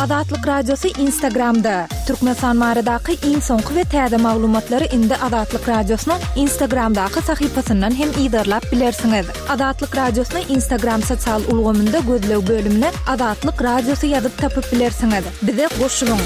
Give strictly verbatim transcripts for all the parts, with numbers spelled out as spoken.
Azatlyk Radiosy Instagramda. Türkmenistan baradaky iň soňky we täze maglumatlary indi Azatlyk Radiosynyň Instagramdaky sahypasyndan hem yzarlap bilersiňiz. Azatlyk Radiosyny Instagram sosial ulgamynda gözleg bölümine Azatlyk Radiosy ýazyp tapyp bilersiňiz. Bize goşulyň.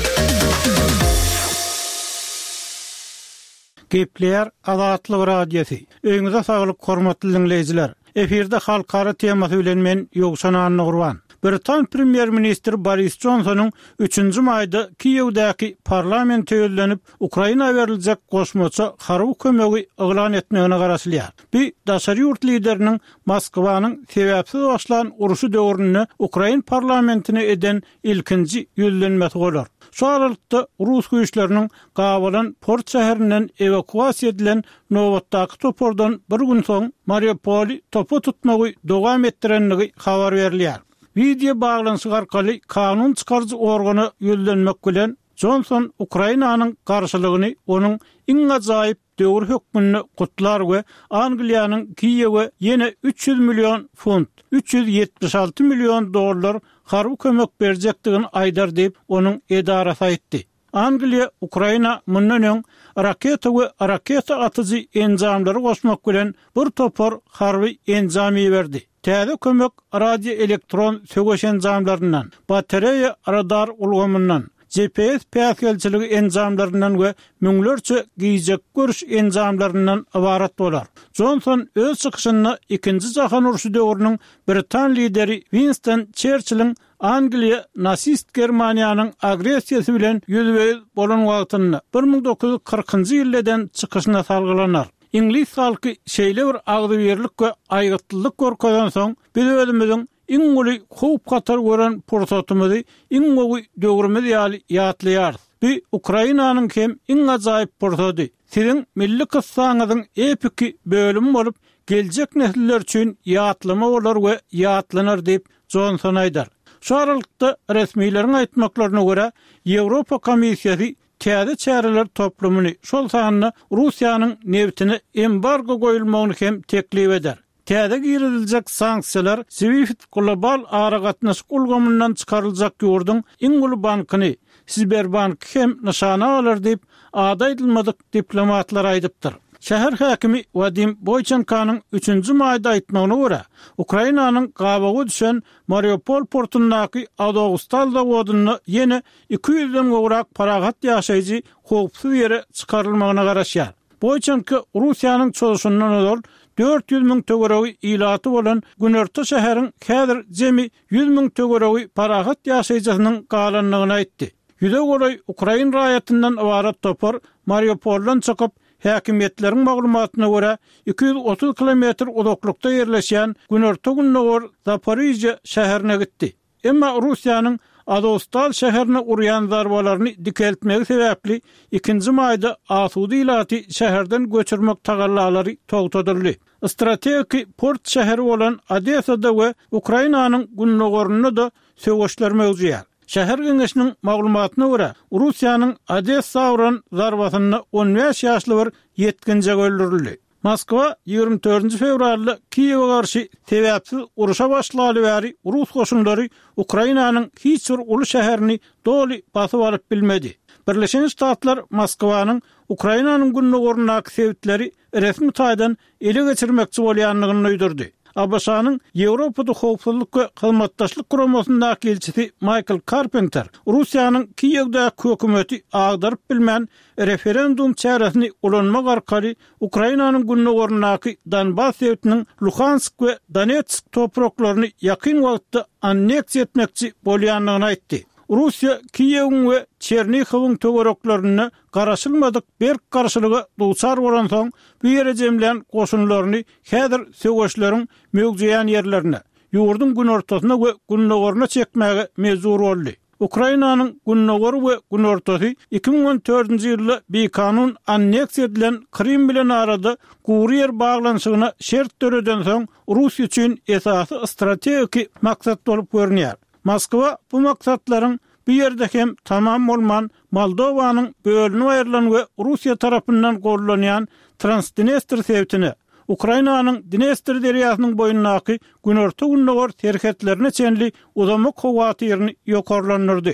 Gepleýär Azatlyk Radiosy. Öýüňize saglyk, hormatly diňleýjiler. Efirde halkara temasy bilen men Ýowşan Annagurban. Britan premýer-ministri Boris Jonsonyň üçünji maýda Kiýewdäki parlamente ýüzlenip, Ukraina beriljek goşmaça harby kömegi yglan etmegine garaşylýar. Bu daşary ýurt lideriniň Moskwanyň sebäpsiz başlan urşy döwründe ukrain parlamentine eden ilkinji ýüzlenmesi bolar. Şu aralykda rus güýçleriniň gabalan port şäherinden ewakuasiýa edilen nobatdaky topardan bir gün soň Mariupoly topa tutmagy dowam etdirendigi habar berilýär. Wideo baglanyşyk arkaly kanun çykaryjy organa ýüzlenmek bilen Jonson Ukrainanyň garşylygyny onuň iň ajaýyp döwri hökmünde gutlar we Angliýanyň Kiýewe ýene üç ýüz million funt, üç ýüz ýetmiş alty million dollar harby kömek berjekdigini aýdar diýip, onuň edarasy aýtdy. Angliýa Ukraina mundan öň raketa we raketa atyjy enjamlary goşmak bilen bir topar harby enjam iberdi. Täze kömek radioelektron söweş enjamlaryndan, batareýa radar ulgamyndan, G P S päsgelçiligi enjamlaryndan we müňlerçe gijek görüş enjamlaryndan ybarat bolar. Jonson öz çykyşynda ikinji jahan urşy döwrüniň Britan lideri Winston Churchilliň Angliýa nasist Germaniýanyň agressiýasy bilen ýüzbe-ýüz bolan wagtynda bir müň dokuz ýüz kyrkynjy ýylda eden çykyşyna salgylanar. Iňlis halky şeýle bir agzybirlik we aýgytlylyk görkezen soň, biz özümiziň iň uly howp-hatar gören pursatymyzy iň gowy döwrümiz ýaly ýatlaýarys. Bu Ukrainanyň hem iň ajaýyp pursady. Siziň milli kyssaňyzyň epiki bölümi bolup, geljek nesiller üçin ýatlama bolar we ýatlanar diýip Jonson aýdar. Şu aralykda resmileriň aýtmaklaryna görä, Ýewropa komissiýasy täze çäreler toplumyny, şol sanda Russiýanyň nebtine embargo goýulmagyny hem teklip eder. Täze giriziljek sanksiýalar SWIFT global aragatnaşyk ulgamyndan çykaryljak ýurduň iň uly bankyny, Sberbanky hem nyşana alar diýip, ady aýdylmadyk diplomatlar aýdypdyr. Şäher häkimi Wadim Boýçenkanyň üçünji maýda aýtmagyna görä, Ukrainanyň gabawa düşen Mariupol portundaky Azovstal zawodynda ýene iki ýüzden gowrak parahat ýaşaýjy howpsuz ýere çykarylmagyna garaşýar. Boýçenko Russiýanyň çozuşyndan ozal dört ýüz müň töweregi ilaty bolan Günorta şäheriň häzir jemi ýüz müň töweregi parahat ýaşaýjysynyň galandygyny aýtdy. Ýüze golaý ukrain raýatyndan ybarat topar Mariupoldan çykyp, häkimiýetleriň maglumatyna görä iki ýüz otuz kilometr uzaklykda ýerleşýän Günorta-Gündogar Zaporizhýa şäherine gitdi. Emma Russiýanyň Azovstal şäherine urýan zarbalaryny dikeltmegi sebäpli ikinji maýda asuda ilaty şäherden göçürmek tagallalary togtadyldy. Strategiki port şäheri bolan Odessada we Ukrainanyň gündogarynda da söweşler mewzuýar. Şäher geňeşiniň maglumatyna görä, Russiýanyň Odessa uran zarbasynda on bäş ýaşly bir ýetginjek öldürildi. Moskwa ýigrimi dördünji fewralda Kiýewe garşy sebäpsiz uruşa başlaly bäri rus goşunlary Ukrainanyň hiç bir uly şäherini doly basyp alyp bilmedi. Birleşen Ştatlar Moskwanyň Ukrainanyň gündogaryndaky sebitleri resmi taýdan ele geçirmekçi bolýandygyny duýdurdy. A B Ş-nyň Ýewropada howpsuzlyk we hyzmatdaşlyk guramasyndaky ilçisi Maýkl Karpenter Russiýanyň Kiýewdäki hökümeti agdaryp bilmän referendum çäresini ulanmak arkaly Ukrainanyň gündogaryndaky Donbas sebitiniň Luhansk we Donetsk topraklaryny ýakyn wagtda anneksiýa etmekçi bolýandygyny aýtdy. Russiýa Kiýewiň we Çernihowyň töwereklerinde garaşylmadyk berk garşylyga duçar bolansoň, bu ýere jemlän goşunlaryny häzir söweşleriň möwjeýän ýerlerine, ýurduň günortasyna we gündogaryna çekmäge mejbur boldy. Ukrainanyň gündogary we günortasy iki müň on dördünji ýylda bikanun anneksiýa edilen Krym bilen arada gury ýer baglanyşygyna şert döredensoň, Russiýa üçin esasy strategiki maksat bolup görünýär. Moskwa bu maksatlaryň bu ýerde hem tamam bolman, Moldowanyň bölünip aýrylan we Russiýa tarapyndan gollanýan Transdnestr sebitine, Ukrainanyň Dnestr derýasynyň boýundaky günorta-gündogar serhetlerine çenli uzamak howatyryny ýokarlandyrdy.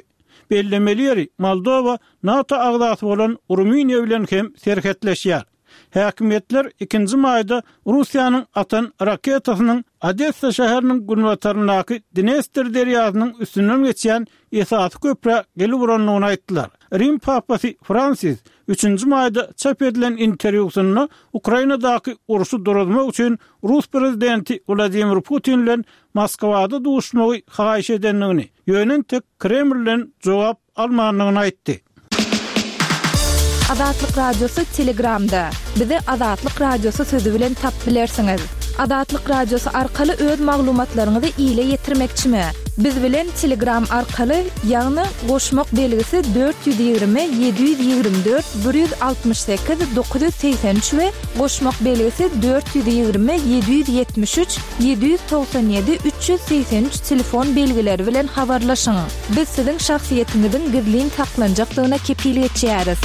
Bellemeli ýeri, Moldowa NATO agzasy bolan Rumyniýa bilen hem serhetleşýär. Häkimiýetler ikinji maýda Russiýanyň atan raketasynyň Odessa şäheriniň günbataryndaky Dnestr derýasynyň üstünden geçýän esasy köprä gelip urandygyny aýtdylar. Rim papasy Fransis üçünji maýda çap edilen interwýusynda Ukrainadaky urşy duruzmak üçin rus prezidenti Wladimir Putin bilen Moskwada duşmagy haýyş edendigini, ýöne entek Kremlden jogap almandygyny aýtdy. Azatlyk Radiosy Telegramda. Bizi Azatlyk Radiosy sözi bilen tapyp bilersiňiz. Azatlyk Radiosy arkaly öz maglumatlaryňyzy ile ýetirmekçimi? Biz bilen Telegram arkaly, ýagny goşmak belgisi dört ýüz ýigrimi ýedi ýüz ýigrimi dört bir ýüz altmyş sekiz dokuz ýüz segsen üç we goşmak belgisi dört ýüz ýigrimi ýedi ýüz ýetmiş üç ýedi ýüz togsan ýedi üç ýüz segsen üç telefon belgileri bilen habarlaşyň. Biz siziň şahsyýetiňiziň gizlin saklanjakdygyna kepil geçýäris.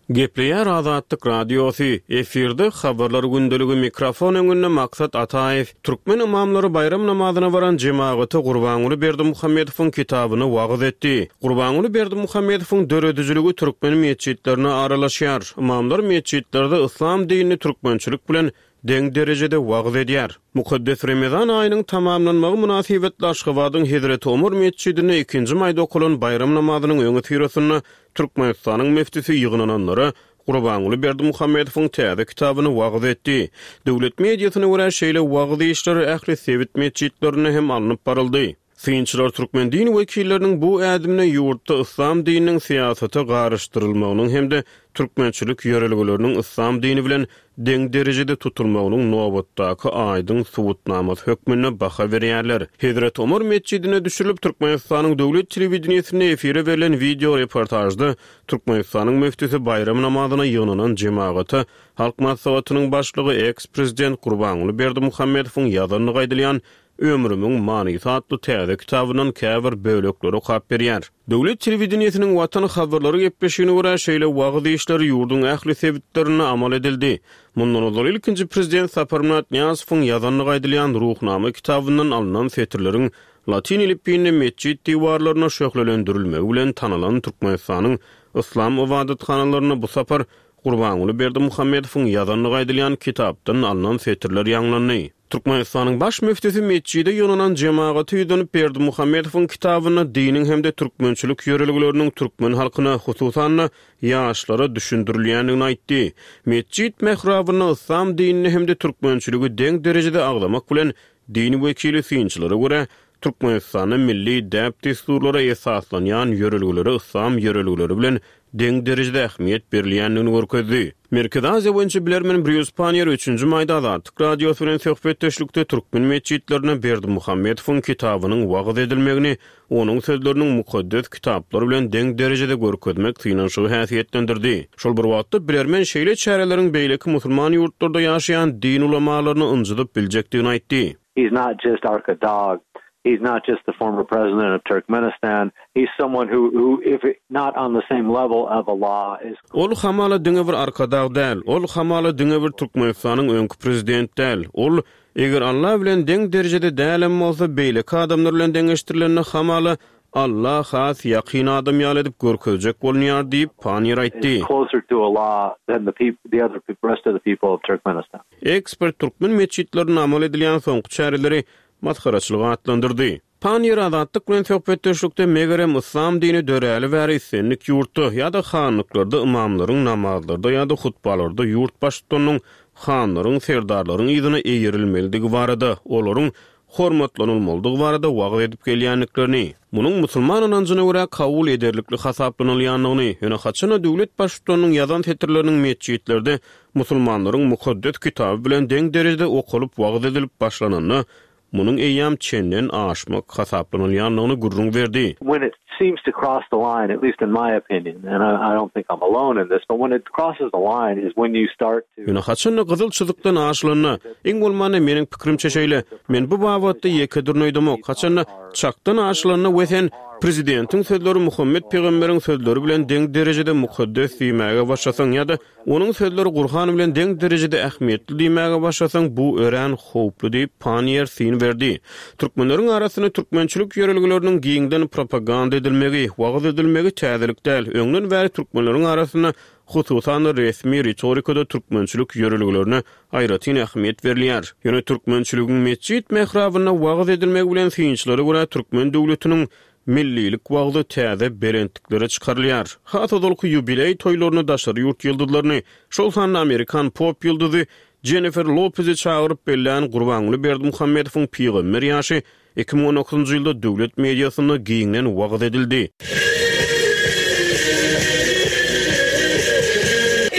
Gepleýär Azatlyk Radiosy, efirde habarlar gündeligi, mikrofon öňünde Maksat Ataýew. Türkmen ymamlary baýram namazyna baran jemagata Gurbanguly Berdimuhamedowyň kitabyny wagyz etdi. Gurbanguly Berdimuhamedowyň döredijiligi türkmen metjitlerine aralaşýar. Ymamlar metjitlerde yslam dinini türkmençilik bilen deň derejede wagyz edýär. Mukaddes Remezan aýynyň tamamlanmagy mynasybetli Aşgabadyň Hezreti Omar metjidinde ikinji maýda okalan baýram namazynyň öňüsyrasynda Türkmenistanyň müftüsi ýygnananlara Gurbanguly Berdimuhamedowyň täze kitabyny wagyz etdi. Döwlet mediasyna görä şeýle wagyz işleri ähli sebit metjitlerinde hem alnyp baryldy. Synçylar türkmen din wekilleriniň bu ädimine ýurtda yslam dininiň syýasata garyşdyrylmagynyň hem-de türkmençilik ýörelgeleriniň yslam dini bilen deň derejede tutulmagynyň nobatdaky aýdyň subutnamasy hökmünde baha berýärler. Hezreti Omar metjidine düşürilip Türkmenistanyň döwlet telewideniýesinde efire berlen video reportajda Türkmenistanyň müftüsi baýram namazyna ýygnanan jemagata Halk Maslahatynyň başlygy eks-prezident Gurbanguly Berdimuhamedowyň ýazandygy aýdylýan Ömrümiň manysy atly täze kitabyndan käbir bölekleri okap berýär. Döwlet telewideniýesiniň Watan habarlary gepleşigine görä şeýle wagyz işleri ýurduň ähli sebitlerinde amal edildi. Mundan ozal ilkinji prezident Saparmyrat Nyýazowyň ýazandygy aýdylýan Ruhnama kitabyndan alnan setirleriň latin elipbiýinde metjit diwarlaryna şöhlelendirilmegi bilen tanalan Türkmenistanyň yslam ybadathanalarynda bu sapar Gurbanguly Berdimuhamedowyň ýazandygy aýdylýan kitapdan alnan setirler ýaňlandy. Türkmenistanyň baş müftüsi metjide ýygnanan jemagaty ýüzlenip Berdimuhamedowyň kitabynda diniň hem-de türkmençilik ýörelgeleriniň türkmen halkyna, hususan-da ýaşlara düşündirilýändigini aýtdy. Metjit mährabynda yslam dinini hem-de türkmençiligi deň derejede agzamak bilen din wekili synçylara görä Türkmenistanda milli däp-dessurlara esaslanýan ýörelgelere yslam ýörelgeleri bilen deň derejede ähmiýet berilýändigini görkezdi. Merkezi Aziýa boýunça bilermen Brýus Pannier üçünji maýda Azatlyk Radiosy bilen söhbetdeşlikde türkmen metjitlerine Berdimuhamedowyň kitabynyň wagyz edilmegini, onuň sözleriniň mukaddes kitaplar bilen deň derejede görkezmek synanyşygy häsiýetlendirdi. Şol bir wagtda bilermen şeýle çäreleriň beýleki musulman ýurtlarda ýaşaýan din ulamalaryny ynjydyp biljekdigini aýtdy. He's not just Arkadag. He's not just the former president of Turkmenistan. He's someone who, who if not on the same level of Allah, is Ol hamala diňe bir Arkadag däl, ol hamala diňe bir Türkmenistanyň öňki prezident däl. Ol eger Allah bilen deň derejede dälem bolsa, beýleki adamlar bilen deňeşdirilende hamala Allah has ýakyn adam ýaly edip görkezjek bolunýar diýip Pannier aýtdy. Is closer to Allah than the peop-, the other peop-, rest of the people of Turkmenistan. Ekspert türkmen metjitlerinde amal edilýän soňky çäreleri masgaraçylyk atlandyrdy. Pannier Azatlyk bilen söhbetdeşlikde megerem yslam dini döräli bäri islendik ýurtda ýa-da hanlyklarda imamlaryň namazlarda ýa-da hutbalarda ýurt baştutanynyň hanlaryň, serdarlaryň yzyna eýerilmelidigi barada, olaryň hormatlanylmalydygy barada wagyz edip gelýändiklerini, munuň musulman ynanjyna görä kabul ederlikli hasaplanylýandygyny, ýöne haçanda döwlet baştutanynyň ýazan setirleriniň metjitlerde musulmanlaryň mukaddes kitaby bilen deň derejede okalyp wagyz edilip başlananda, munuň eýýäm çenden aşmak hasaplanylýandygyny gürrüň berdi. When it seems to cross the line, at least in my opinion, and I, I don't think I'm alone in this, but when it crosses the line is when you start to Ýöne haçanda gyzyl çyzykdan aşylanda, iň bolmanda meniň pikirimçe şeýle, men bu babatda ýeke dürneýdemok. Haçanda çakdan aşylanda we sen Prezidentiň sözleri Muhammet pygamberiň sözleri bilen deň derejede mukaddes diýmäge başlasaň ýa-da onuň sözleri Gurhan bilen deň derejede ähmiýetli diýmäge başlasaň, bu örän howply diýip, Panniýer syn berdi. Türkmenleriň arasynda türkmençilik ýörelgeleriniň giňden propaganda edilmegi, wagyz edilmegi täzelik däl. Öňden bäri türkmenleriň arasynda hususan-da resmi ritorikada türkmençilik ýörelgelerine aýratyn ähmiýet berilýär. Ýöne türkmençiligiň metjit mährabynda wagyz edilmegi bilen synçylara görä türkmen döwletiniň millilik wagzy täze belentliklere çykarylýar. Has ozalky ýubileý toýlaryny daşary ýurt ýyldyzlaryny, şol sanda amerikan pop ýyldyzy Jennifer Lopezi çagyryp bellän Gurbanguly Berdimuhamedowyň pygamber ýaşy iki müň on dokuzynjy ýylda döwlet mediasynda giňden wagyz edildi.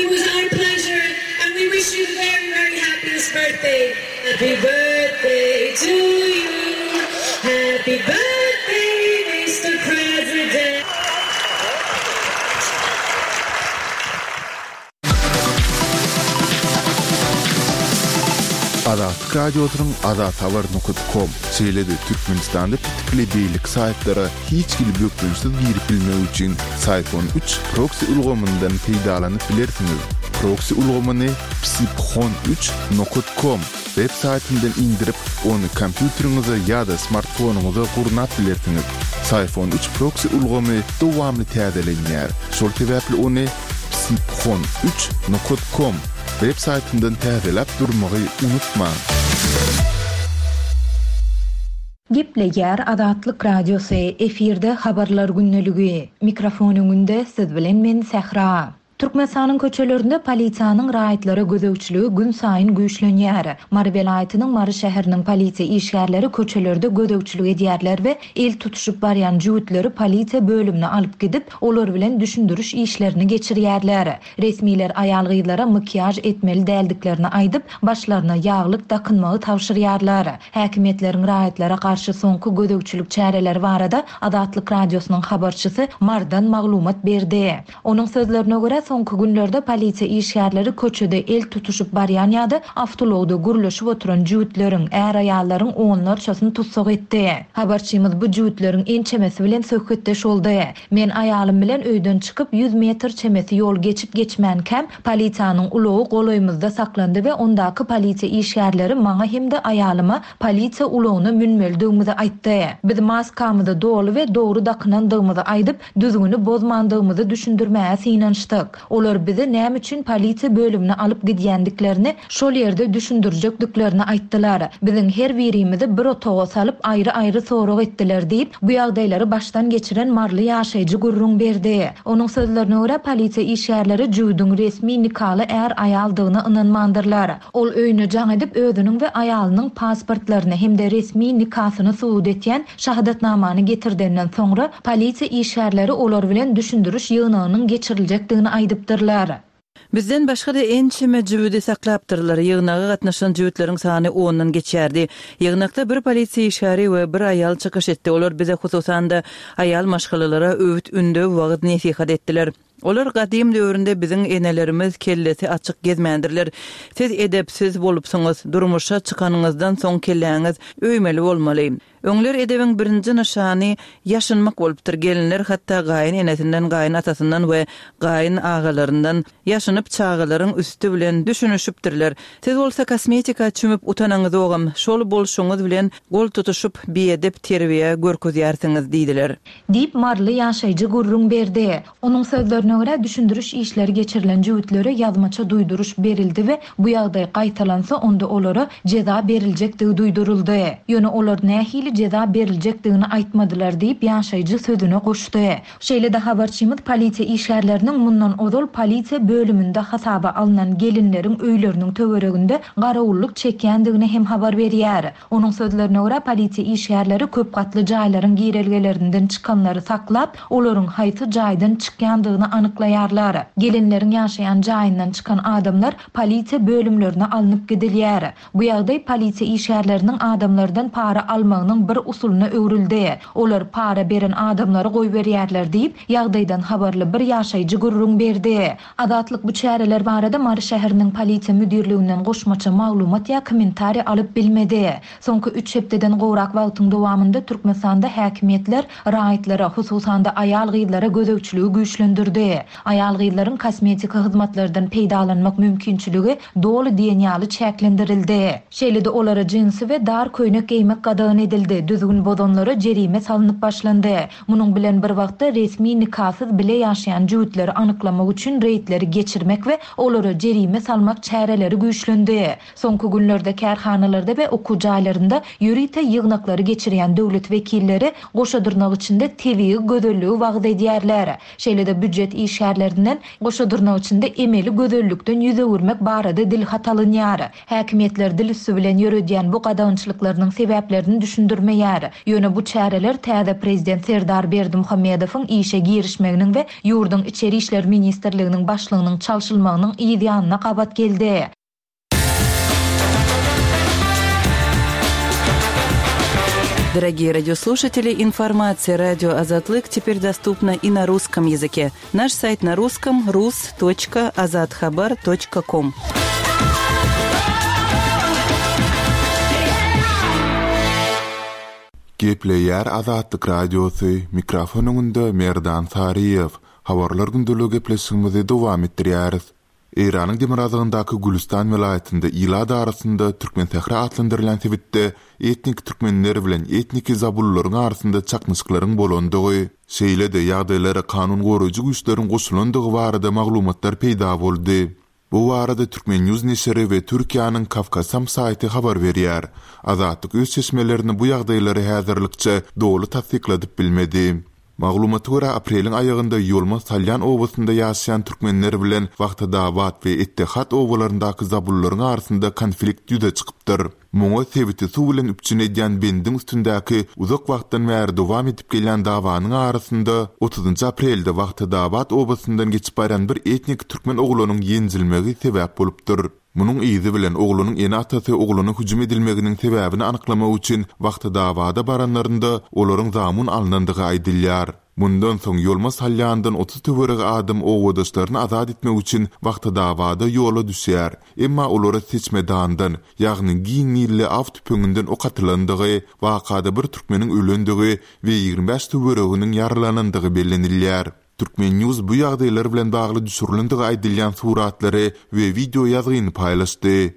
It was our pleasure and we wish you the very, very happiest birthday. Happy birthday to you. Happy birthday, Mister President. Azatlyk Radiosynyň azathabar nokta com, şeýle-de Türkmenistanda petikli beýleki saýtlara hiç hili bökdençsiz girip bilmek üçin Syfon üç proksi ulgamyndan peýdalanyp bilersiňiz. Proksi ulgamyny psiphon üç nokta com web saýtyndan indirip, ony kompýuteriňize ýa-da smartfonyňyza gurnap bilersiňiz. Syfon üç proksi ulgamy dowamly täzelenýär. Şol sebäpli ony psiphon üç nokta com web saýtyndan täzeläp durmagy unutmaň. Gepleýär Azatlyk Radiosy, efirde habarlar gündeligi. Mikrofon öňünde siz bilen men Sähra. Türkmenistanyň köçelerinde polisiýanyň raýatlara gözegçiligi gün saýyn güýçlenýär. Mary welaýatynyň Mary şäheriniň polisiýa işgärleri köçelerde gözegçilik edýärler we el tutuşyp barýan jüwütleri polisiýa bölümine alyp gidip, olar bilen düşündiriş işlerini geçirýärler. Resmiler aýal-gyzlara makiýaž etmeli däldiklerini aýdyp, başlaryna ýaglyk dakynmagy tabşyrýarlar. Häkimiýetleriň raýatlara garşy soňky gözegçilik çäreleri barada Azatlyk Radiosynyň habarçysy Mardan maglumat berdi. Onuň sözlerine görä soňky günlerde polisiýa işgärleri köçede el tutuşyp barýan ýa-da awtoulagda gürleşip oturan jüwütleriň, är-aýallaryň onlarçasyny tutsak etdi. Habarçymyz bu jüwütleriň ençemesi bilen söhbetdeş boldy. Men aýalym bilen öýden çykyp ýüz metr çemesi ýol geçip geçmänkäm polisiýanyň ulagy golaýymyzda saklandy we ondaky polisiýa işgärleri maňa hem-de aýalyma polisiýa ulagyna münmelidigimizi aýtdy. Biz maskamyzy doly we dogry dakynandygymyzy aýdyp, düzgüni bozmandygymyzy düşündirmäge synanyşdyk. Olar bizi näme üçin polisiýa bölümine alyp gidýändiklerini, şol ýerde düşündirjekdiklerini aýtdylar. Biziň her birimizi bir otaga salyp aýry-aýry sorag etdiler diýip, bu ýagdaýlary başdan geçiren Marly ýaşaýjy gürrüň berdi. Onuň sözlerine görä polisiýa işgärleri jüwüdiň resmi nikaly är-aýaldygyna ynanmandyrlar. Ol öýüne jaň edip özüniň we aýalynyň pasportlaryny hem-de resmi nikasyny subut etýän şahadatnamany getirdenden soňra polisiýa işgärleri olar bilen düşündiriş ýygnagynyň geçiriljekdigini aýdypdyrlar. Bizden başga-da ençeme jüwüdi saklapdyrlar. Ýygnaga gatnaşan jüwütleriň sany ondan geçerdi. Ýygnakda bir polisiýa işgäri we bir aýal çykyş etdi. Olar bize hususan-da aýal maşgalalara öwüt ündew wagyz nesihat etdiler. Olar gadym döwründe biziň enelerimiz kellesi açyk gezmändirler. Siz edepsiz bolupsyňyz, durmuşa çykanyňyzdan soň kelläňiz öýmeli bolmaly. Öňler edebiň birinji nyşany ýaşynmak bolupdyr. Gelinler hatda gaýyn enesinden, gaýyn atasyndan we gaýyn agalaryndan ýaşynyp çagalaryň üstü bilen düşünişipdirler. Siz bolsa kosmetika çümüp utanaňyz ogam, şol bolşuňyz bilen gol tutuşup biedep terbiýe görkezýärsiňiz diýdiler. Diýip Marly ýaşaýjy gürrüň berdi. Onuň sözlerine görä düşündiriş işleri geçirilen jüwütlere ýazmaça duýduryş berildi we bu ýagdaý gaýtalansa onda olara jeza beriljekdigi duýduryldy. Ýöne olar nähili jeza beriljekdigini aýtmadylar diýip ýaşaýjy sözüne goşdy. Şeýle-de habarçymyz polisiýa işgärleriniň mundan ozal polisiýa bölüminde hasaba alnan gelinleriň öýleriniň töwereginde garawullyk çekýändigini hem habar berýär. Onuň sözlerine görä polisiýa işgärleri köp gatly jaýlaryň girelgelerinden çykanlary saklap, olaryň haýsy jaýdan çykýandygyny anyklaýarlar. Gelinleriň ýaşaýan jaýyndan çykan adamlar polisiýa bölümlerine alnyp gidilýär. Bu ýagdaý polisiýa işgärleriniň adamlardan para almagynyň bir usulyna öwrüldi. Olar para beren adamlary goýberýärler diýip, ýagdaýdan habarly bir ýaşaýjy gürrüň berdi. Azatlyk bu çäreler barada Mary şäheriniň polisiýa müdirliginden goşmaça maglumat ýa kommentariý alyp bilmedi. Soňky üç hepdeden gowrak wagtyň dowamynda Türkmenistanda häkimiýetler raýatlara, hususan-da aýal-gyzlara gözegçiligi güýçlendirdi. Aýal-gyzlaryň kosmetika hyzmatlardan peýdalanmak mümkinçiligi doly diýen ýaly çäklendirildi. Şeýle-de olara jinsi we dar köýnek geýmek gadagan edildi. Düzgün bozanlara jerime salnyp başlandy. Munuň bilen bir wagtda resmi nikasyz bile ýaşaýan jübütleri anyklamak üçin reýdleri geçirmek we olara jerime salmak çäreleri güýçlendi. Soňky günlerde kärhanalarda we okuw jaýlarynda ýörite ýygnaklary geçirýän döwlet wekilleri goşa dyrnak içinde tebigy gözelligi wagyz edýärler. Şeýle-de býujet işgärlerinden goşa dyrnak içinde emeli gözellikden ýüz öwürmek barada dil hat alynýar. Häkimiýetler dil üstü bilen ýöredýän bu gadagançylyklarynyň sebäplerini düşündirmeýär. Ýöne bu çäreler täze prezident Serdar Berdimuhamedowyň işe girişmeginiň we ýurduň Içeri İşler Ministrliginiň başlygynyň çalşylmagynyň yz ýanyna gabat geldi. Дорогие радиослушатели, информация радио Азатлык теперь доступна и на русском языке. Наш сайт на русском rus точка azathabar точка ком. Gepleýär Azatlyk Radiosy, mikrofon öňünde Merdan Saryýew. Habarlar gündeligi gepleşigimizi dowam etdirýäris. Eýranyň demirgazygyndaky Gülüstan welaýatynda ilat arasynda Türkmensähra atlandyrylan sebitde etnik türkmenler bilen etnik zabullaryň arasynda çaknyşyklaryň bolandygy, şeýle-de ýagdaýlara kanun goraýjy güýçleriň goşulandygy barada maglumatlar peýda boldy. Bu barada Türkmen News neşiri we Türkiýäniň Kafkasam saýty habar berýär. Azatlyk öz çeşmelerini bu ýagdaýlary häzirlikçe doly tassykladyp bilmedi. Maglumata görä apreliň aýagynda Ýolma Salýan obasynda ýaşaýan türkmenler bilen Wagtadabat we Ettihat obalaryndaky zabullaryň arasynda konflikt ýüze çykypdyr. Muňa sebiti suw bilen üpjün edýän bendiň üstündäki uzak wagtdan bäri dowam edip gelýän dawanyň arasynda otuzynjy aprelde Wagtadabat obasyndan geçip barýan bir etnik türkmen oglunyň ýenjilmegi sebäp bolupdyr. Munuň yzy bilen oglunyň ene-atasy ogluna hüjüm edilmeginiň sebäbini anyklamak üçin Wagtadabada baranlarynda olaryň zamun alnandygy aýdylýar. Mundan soň Ýolma Salýandan otuz töweregi adam owadaşlaryny azat etmek üçin Wagtadabada ýola düşýär. Emma olara seçmedandan, ýagny giň nilli aw tüpeňinden ok atylandygy, wakada bir türkmeniň ölendigi we ýigrimi bäş töwereginiň ýaralanandygy bellenilýär. Türkmen News bu ýagdaýlar bilen bagly düşürilendigi aýdylýan suratlary we video ýazgyny paýlaşdy.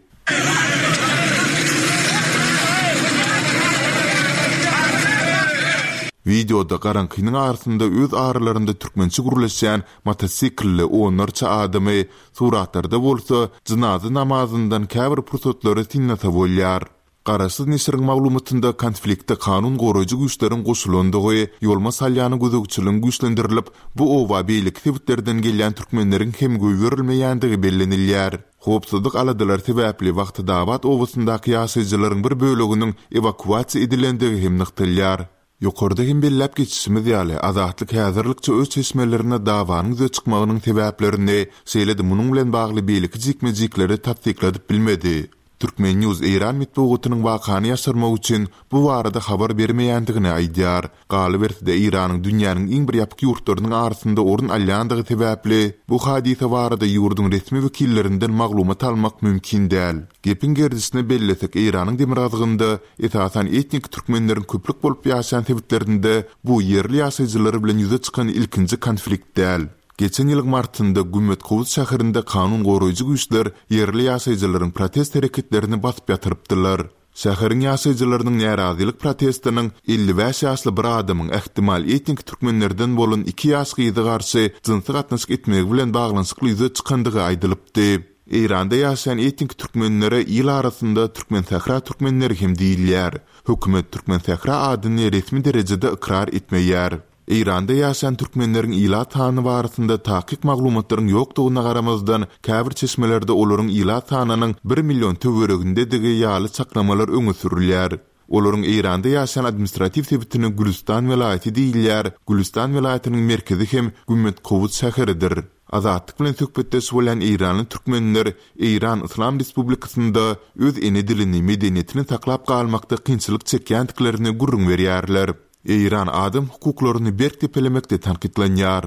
Videoda garaňkynyň arasynda öz aralarynda türkmençe gürleşýän motosiklli onlarça adamy, suratlarda bolsa jynaza namazyndan käbir pursatlary synlasa bolýar. Garaşsyz neşiriň maglumatynda konfliktde kanun goraýjy güýçleriň goşulandygy, Ýolma Salýanyň gözegçiligiň güýçlendirilip, bu oba beýleki sebitlerden gelýän türkmenleriň hem goýberilmeýändigi bellenilýär. Howpsuzlyk aladalar sebäpli Wagtadabat obasyndaky ýaşaýjylaryň bir böleginiň ewakuasiýa edilendigi hem nygtalýar. Ýokarda hem belläp geçişimiz ýaly, Azatlyk häzirlikçe öz çeşmelerine dawanyň ýüze çykmagynyň sebäplerini, şeýle-de munuň bilen bagly beýleki jikme-jikleri tassykladyp bilmedi. Türkmen News Eýran metbugatynyň wakany ýaşyrmak üçin bu barada habar bermeýändigini aýdýar. Galyberse-de Eýranyň dünýäniň iň bir ýapyk ýurtlarynyň arasynda orun alýandygy sebäpli bu hadysa barada ýurduň resmi wekillerinden maglumat almak mümkin däl. Gepiň gerdişine bellesek, Eýranyň demirgazygynda esasan etnik türkmenleriň köplük bolup ýaşaýan sebitlerinde bu ýerli ýaşaýjylar bilen ýüze çykan ilkinji konflikt däl. Geçen ýylyň martynda Gümmetkowuz şäherinde kanun goraýjy güýçler ýerli ýaşaýjylaryň protest hereketlerini basyp ýatyrypdylar. Şäheriň ýaşaýjylarynyň närazylyk protestiniň elli bäş ýaşly bir adamyň ähtimal etnik türkmenlerden bolan iki ýaş gyzy garşy jynsy gatnaşyk etmegi bilen baglanyşykly ýüze çykandygy aýdylypdy. Eýranda ýaşaýan etnik türkmenlere il arasynda Türkmensähra türkmenleri hem diýilýär. Hökümet Türkmensähra adyny resmi derejede ykrar etmeýär. Eýranda ýaşaýan türkmenleriň ilat sany barasynda takyk maglumatlaryň ýokdugyna garamazdan, käbir çeşmelerde olaryň ilat sanynyň bir million töweregindedigi ýaly çaklamalar öňe sürülýär. Olaryň Eýranda ýaşaýan administratiw sebitine Gülüstan welaýaty diýilýär. Gülüstan welaýatynyň merkezi hem Gümmetkowus şäheridir. Azatlyk bilen söhbetdeş bolýan eýranly türkmenler Eýran Yslam Respublikasynda öz ene dilini, medeniýetini saklap galmakda kynçylyk çekýändiklerini gürrüň berýärler. Eýran adam hukuklaryny berk depelemekde tankytlanýar.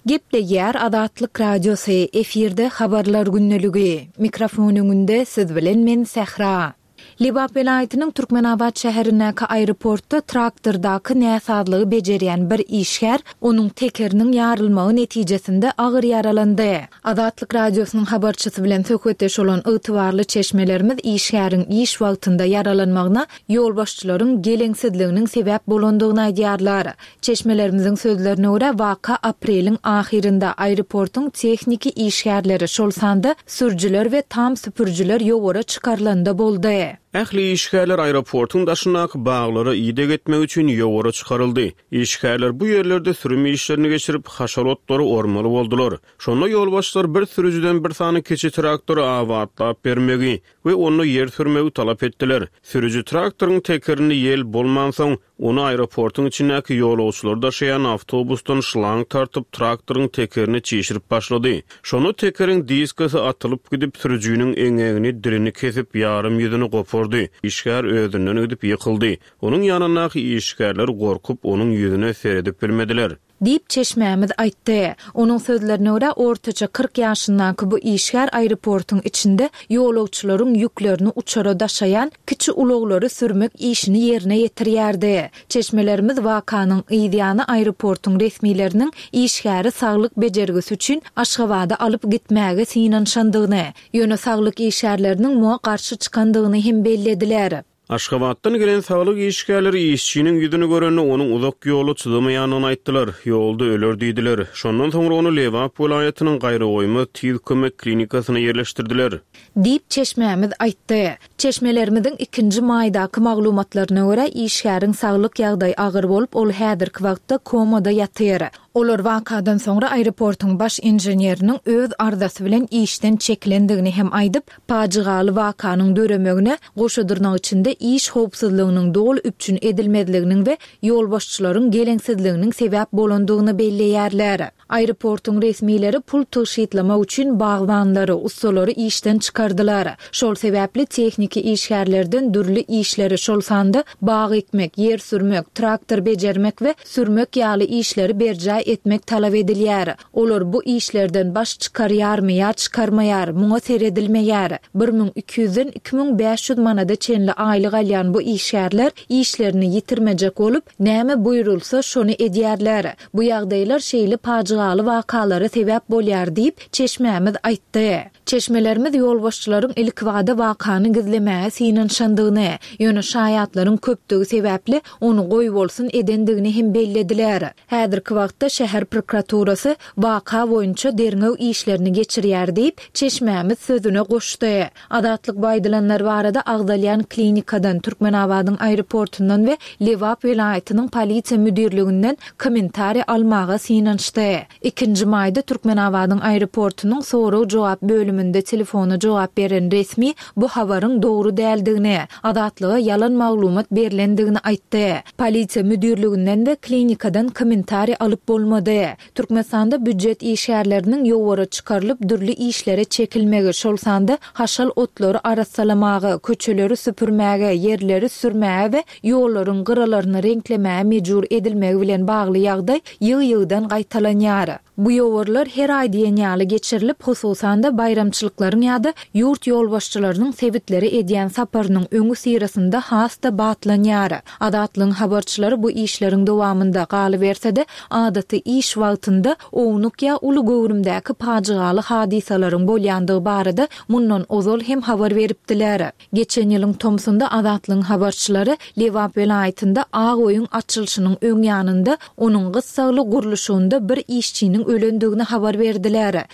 Gepleýär Azatlyk Radiosy, efirde habarlar gündeligi. Mikrofon öňünde siz bilen men Sähra. Lebap welaýatynyň Türkmenabat şäherindäki aeroportda traktordaky näsazlygy bejerýän bir işgär onuň tekeriniň ýarylmagy netijesinde agyr ýaralandy. Azatlyk Radiosynyň habarçysy bilen söhbetdeş bolan ygtybarly çeşmelerimiz işgäriň iş wagtynda ýaralanmagyna ýolbaşçylaryň geleňsizliginiň sebäp bolandygyny aýdýarlar. Çeşmelerimiziň sözlerine görä, waka apreliň ahyrynda aeroportuň tehniki işgärleri, şol sanda sürüjiler we tam süpürjiler ýowara çykarylanda boldy. Ähli işgärler aeroportuň daşyndaky baglara ideg etmek üçin ýowara çykaryldy. Işgärler bu ýerlerde sürüm işlerini geçirip, haşal otlary ormaly boldular. Şonda ýolbaşçylar bir sürüjiden bir sany kiçi traktory abatlap bermegi we onda ýer sürmegi talap etdiler. Sürüji traktoryň tekerini ýel bolmansoň, ony aeroportuň içindäki ýolagçylary daşaýan awtobusdan şlang tartyp traktoryň tekerini çişirip başlady. Şonda tekeriň diskasy atylyp gidip sürüjiniň eňegini, dilini kesip ýarym ýüzüni gopardy. Işgär özünden gidip ýykyldy. Onuň ýanyndaky işgärler gorkup onuň ýüzüne seredip bilmediler. Diýip çeşmämiz aýtdy. Onuň sözlerine görä, ortaça kyrk ýaşyndaky bu işgär aeroportuň içinde ýolagçylaryň ýüklerini uçara daşaýan kiçi ulaglary sürmek işini ýerine ýetirýärdi. Çeşmelerimiz wakanyň yzýany aeroportuň resmileriniň işgäri saglyk bejergisi üçin Aşgabada alyp gitmäge synanyşandygyny, ýöne saglyk işgärleriniň muňa garşy çykandygyny hem bellediler. Aşgabatdan gelen saglyk işgärleri işçiniň ýüzüni görende onuň uzak ýola çydamaýandygyny aýtdylar. Ýolda öler diýdiler. Şondan soňra ony Lebap welaýatynyň Gaýragoýmaz tiz kömek klinikasyna ýerleşdirdiler. Diýip çeşmämiz aýtdy. Çeşmelerimiziň ikinji maýdaky maglumatlaryna görä, işgäriň saglyk ýagdaýy agyr bolup, ol häzirki wagtda komada ýatyr. Olar wakadan soňra aeroportuň baş inženeriniň öz arzasy bilen işden çekilendigini hem aýdyp, pajygaly wakanyň döremegine goşa dyrnak içinde iş howpsuzlygynyň doly üpjün edilmezliginiň we ýolbaşçylaryň geleňsizliginiň sebäp bolandygyny belleýärler. Aeroportuň resmileri pul tygşytlamak üçin bagbanlary, ussalary işden çykardylar. Şol sebäpli tehniki işgärlerden dürli işleri, şol sanda bag ekmek, ýer sürmek, traktor bejermek we sürmek ýaly işleri berjaý etmek talap edilýär. Olar bu işlerden baş çykarýarmy ýa çykarmaýar, muňa seredilmeýär. bir müň iki ýüzden iki müň bäş ýüz manada çenli aýlyk alýan bu işgärler işlerini ýitirmejek bolup, näme buýrulsa şony edýärler. Bu ýagdaýlar şeýle pajygaly wakalara sebäp bolýar diýip, çeşmämiz aýtdy. Çeşmelerimiz ýolbaşçylaryň ilkibada wakany gizlemäge synanyşandygyny, ýöne şaýatlaryň köpdügi sebäpli ony goýbolsun edendigini hem bellediler. Häzirki wagtda şäher prokuraturasy waka boýunça derňew işlerini geçirýär diýip, çeşmämiz sözüne goşdy. Azatlyk bu aýdylanlar barada agzalýan klinikadan, Türkmenabadyň aeroportundan we Lebap welaýatynyň polisiýa müdirliginden kommentariý almaga synanyşdy. Ikinji maýda Türkmenabadyň aeroportunyň sorag-jogap bölüminde telefona jogap beren resmi bu habaryň dogry däldigini, Azatlyga ýalan maglumat berlendigini aýtdy. Polisiýa müdirliginden we klinikadan kommentariý alyp bolmady. Türkmenistanda býujet işgärleriniň ýowara çykarylyp dürli işlere çekilmegi, şol sanda haşal otlary arassalamaga, köçeleri süpürmäge, ýerleri sürmäge we ýollaryň gyralaryny reňklemäge mejbur edilmegi bilen bagly ýagdaý ýygy-ýygydan gaýtalanýar. Bu ýowarlar her aý diýen ýaly geçirilip, hususan-da baýramçylyklaryň ýa-da ýurt ýolbaşçylarynyň sebitlere edýän saparynyň öňüsyrasynda has-da batlanýar. Azatlygyň habarçylary bu işleriň dowamynda, galyberse-de, adaty iş wagtynda ownuk ýa uly göwrümdäki pajygaly hadysalaryň bolýandygy barada mundan ozal hem habar beripdiler. Geçen ýylyň tomsunda Azatlygyň habarçylary Lebap welaýatynda Ak öýüň açylyşynyň öň ýanynda onuň gyssagly gurluşygynda bir işçiniň ölendigini habar berdiler.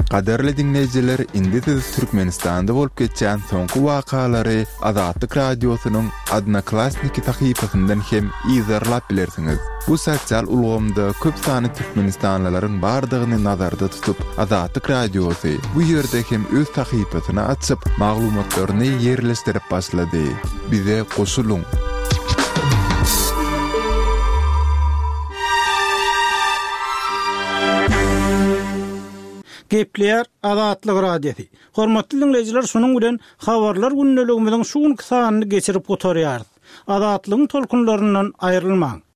Gadyrly diňleýjiler, indi siz Türkmenistanda bolup geçýän soňky wakalary Azatlyk Radiosynyň Odnoklassniki sahypasyndan hem yzarlap bilersiňiz. Bu sosial ulgamda köp sanly türkmenistanlylaryň bardygyny nazarda tutup, Azatlyk Radiosy bu ýerde hem öz sahypasyny açyp, maglumatlaryny ýerleşdirip başlady. Bize goşulyň! Gepleýär Azatlyk Radiosy. Hormatly diňleýjiler, şunuň bilen Habarlar gündeligimiziň şu günki sanyny geçirip gutarýarys. Azatlygyň tolkunlaryndan aýrylmaň!